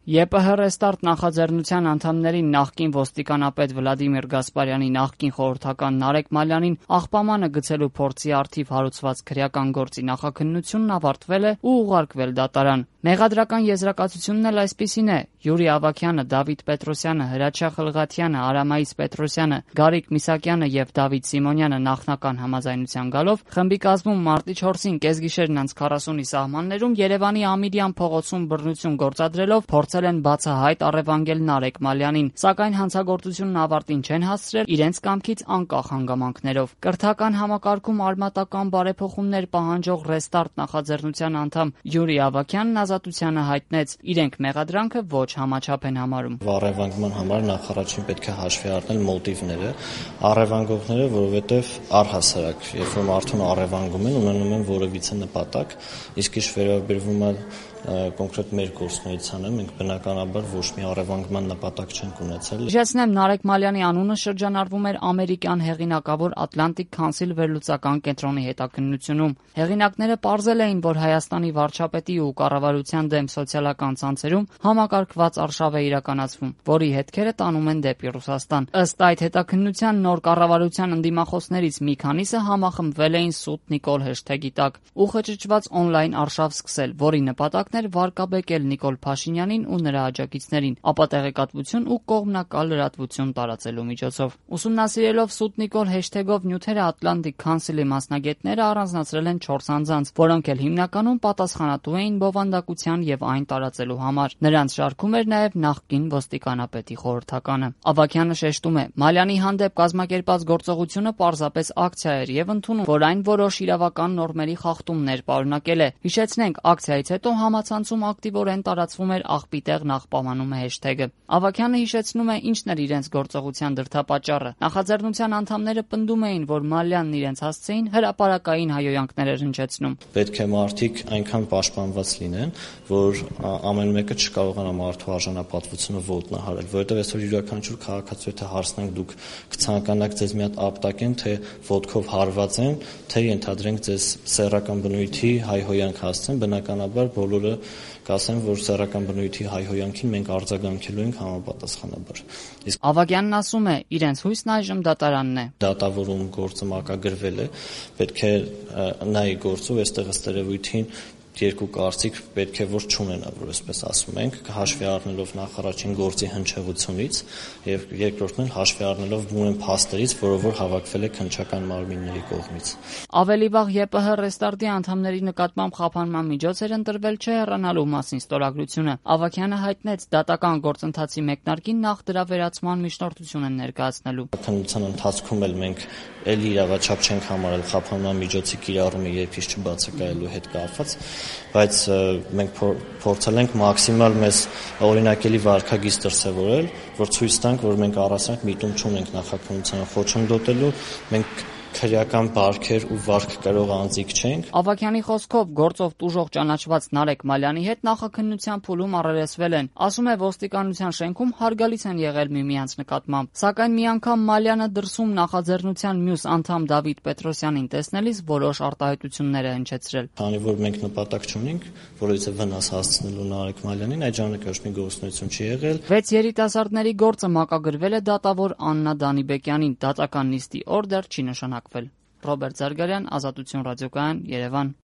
ԵՊՀ Ռեստարտ նախաձեռնության անդամների նախկին ոստիկանապետ Վլադիմիր Գասպարյանի նախկին խորհրդական Նարեկ Մալյանին աղբամանը գցելու փորձի առթիվ հարուցված քրեական գործի նախաքննությունն ավարտվել է ու ուղարկվել դատարան։ Մեղադրական եզրակացությունն էլ այսպիսին է. Յուրի Ավագյանը, Դավիթ Պետրոսյանը, Հրաչյա Խլղաթյանը, Արամայիս Պետրոսյանը, Գարիկ Միսակյանը եւ Դավիթ Սիմոնյանը նախնական համաձայնության գալով խմբի կազմում մարտի 4-ին կեսգիշերն անց 40-ի սահմաններում Երևանի Ամիրյան փողոցում բռնություն գործադրելով փորձել են բացահայտ առևանգել Նարեկ Մալյանին, սակայն հանցագործությունն ավարտին չեն հասցրել իրենց կամքից անկախ հանգամանքներով։ Կրթական համակարգում արմատական բարեփոխումներ պահանջող Ռեստարտ նախաձեռնության անդամ Յուրի Ավագյանն ազատությանը հայտնեց, իրենք մեղադրանքը ոչ համաչափ են համարում։ Առևանգման համար նախ առաջին պետք է հաշվի առնել մոտիվները, առևանգողները, որովհետև առհասարակ, երբ որ մարդուն առևանգում են, ունենում են որևիցե նպատակ, իսկ ինչ վերաբերվում է կոնկրետ մեր գործունեությանը, մենք բնականաբար ոչ մի առևանգման նպատակ չենք ունեցել։ Հիշեցնեմ, Նարեկ Մալյանի անունը շրջանառվում էր ամերիկյան հեղինակավոր Atlantic Council վերլուծական կենտրոնի հետաքննությունում։ Հեղինակները պարզել էին, որ Հայաստանի վարչապետի ու կառավարության դեմ սոցիալական ցանցերում համակարգված արշավ է իրականացվում, որի հետքերը տանում են դեպի Ռուսաստան։ Ըստ այդ հետաքննության նոր կառավարության ընդդիմախոսներից մի քանիսը համախմբվել էին «Սուտ Նիկոլ» հեշթեգի տակ ու խճճված օնլայն արշավ սկսել, որի նպատակն էր վարկաբեկել Նիկոլ Փաշինյանին ու նրա աջակիցներին, ապա տեղեկատվություն ու կողմնակալ լրատվություն տարածելու միջոցով։ Ուսումնասիրելով «Սուտ Նիկոլ» հեշթեգով նյութերը Atlantic Council-ի մասնագետները առանձնացրել են 4 անձանց, որոնք էլ հիմնականում պատասխանատու էին բովանդակության եւ այն տարածելու համար։ Նրանց շարքում էր նաեւ նախկին ոստիկանապետի խորհրդականը։ Ավագյանը շեշտում է. Մալյանի հանդեպ կազմակերպած գործողությունը պարզապես ակցիա էր եւ ընդունում, որ այն որոշ իրավական նորմերի խախտումներ պարունակել է։ Հիշեցնենք, ակցիայից հետո համացանցում ակտիվորեն տարածվում էր «Աղբիտեղ նախպամանում է» հեշթեգը։ Ավագյանը հիշեցնում է, ինչն էր իրենց գործողության դրդապատճառը։ Նախաձեռնության անդամները պնդում էին, որ Մալյանն իրենց հասցեին հրապարակային հայհոյանքներ էր հնչեցնում։ Պետք է մարդիկ այնքան պաշտպանված լինեն, որ ամեն մեկը չկարողանա մարդու արժանապատվությունը ոտնահարել, որովհետև այսօր յուրաքանչյուր քաղաքացու եթե հարցնենք դուք կցանկանաք ձեզ մի հատ ապտակեն, թե ոտքով հարված են, թե ենթադրենք ձեզ սեռական բնույթի հայհոյանք հասցեն, բնականաբար բոլորը կասեն, որ սեռական բնույթի հայհոյանքին մենք արձագանքելու ենք համապատասխանաբար։ Իսկ Ավագյանն ասում է, իրենց հույսն այժմ դատարանն է։ Դատավորում գործը մակագրվել է, պետք է նայի գործով այստեղ ըստ երևույթին երկու կարծիք պետք է որ չունենա, որ այսպես ասում ենք, հաշվի առնելով նախ առաջին գործի հնչեղությունից եւ երկրորդն էլ հաշվի առնելով բուն փաստերից, որով որ հավաքվել է քննչական մարմինների կողմից։ Ավելի վաղ ԵՊՀ Ռեստարտի անդամների նկատմամբ խափանման միջոց էր ընտրվել չհեռանալու մասին ստորագրությունը։ Ավագյանը հայտնեց, դատական գործընթացի մեկնարկին նախ դրա վերացման միջնորդություն են ներկայացնելու։ Քննության ընթացքում էլ մենք ելի իրավաչափ չենք համարել խափանման միջոցի կիրառումը երբից չբացակայելու հետ կապված, բայց մենք փորձել ենք մաքսիմալ մեզ օրինակելի վարքագիծ դրսևորել, որ ցույց տանք, որ մենք առասարակ միտում չունենք նախաքննությանը խոչընդոտելու, մենք քրեական բարքեր ու վարք կրող անձիկ չենք։ Ավագյանի խոսքով գործով տուժող ճանաչված Նարեկ Մալյանի հետ նախաքննության փուլում առերեսվել են։ Ասում է, ոստիկանության շենքում հարգալից են եղել միմյանց նկատմամբ, սակայն մի անգամ Մալյանը դրսում նախաձեռնության մյուս անդամ Դավիթ Պետրոսյանին տեսնելիս որոշ արտահայտություններ է հնչեցրել։ Քանի որ մենք նպատակ չունենք որևիցե վնաս հասցնելու Նարեկ Մալյանին, այդ ժամանակ ոչ մի գործունեություն չի եղել։ 6 երիտասարդների գործը մակագրվել է դատավոր Աննա Դանիբեկյանին, դատական նիստի օր դեռ չի նշանակվել։ Ռոբերտ Զարգարյան, Ազատություն ռադիոկայան, Երևան։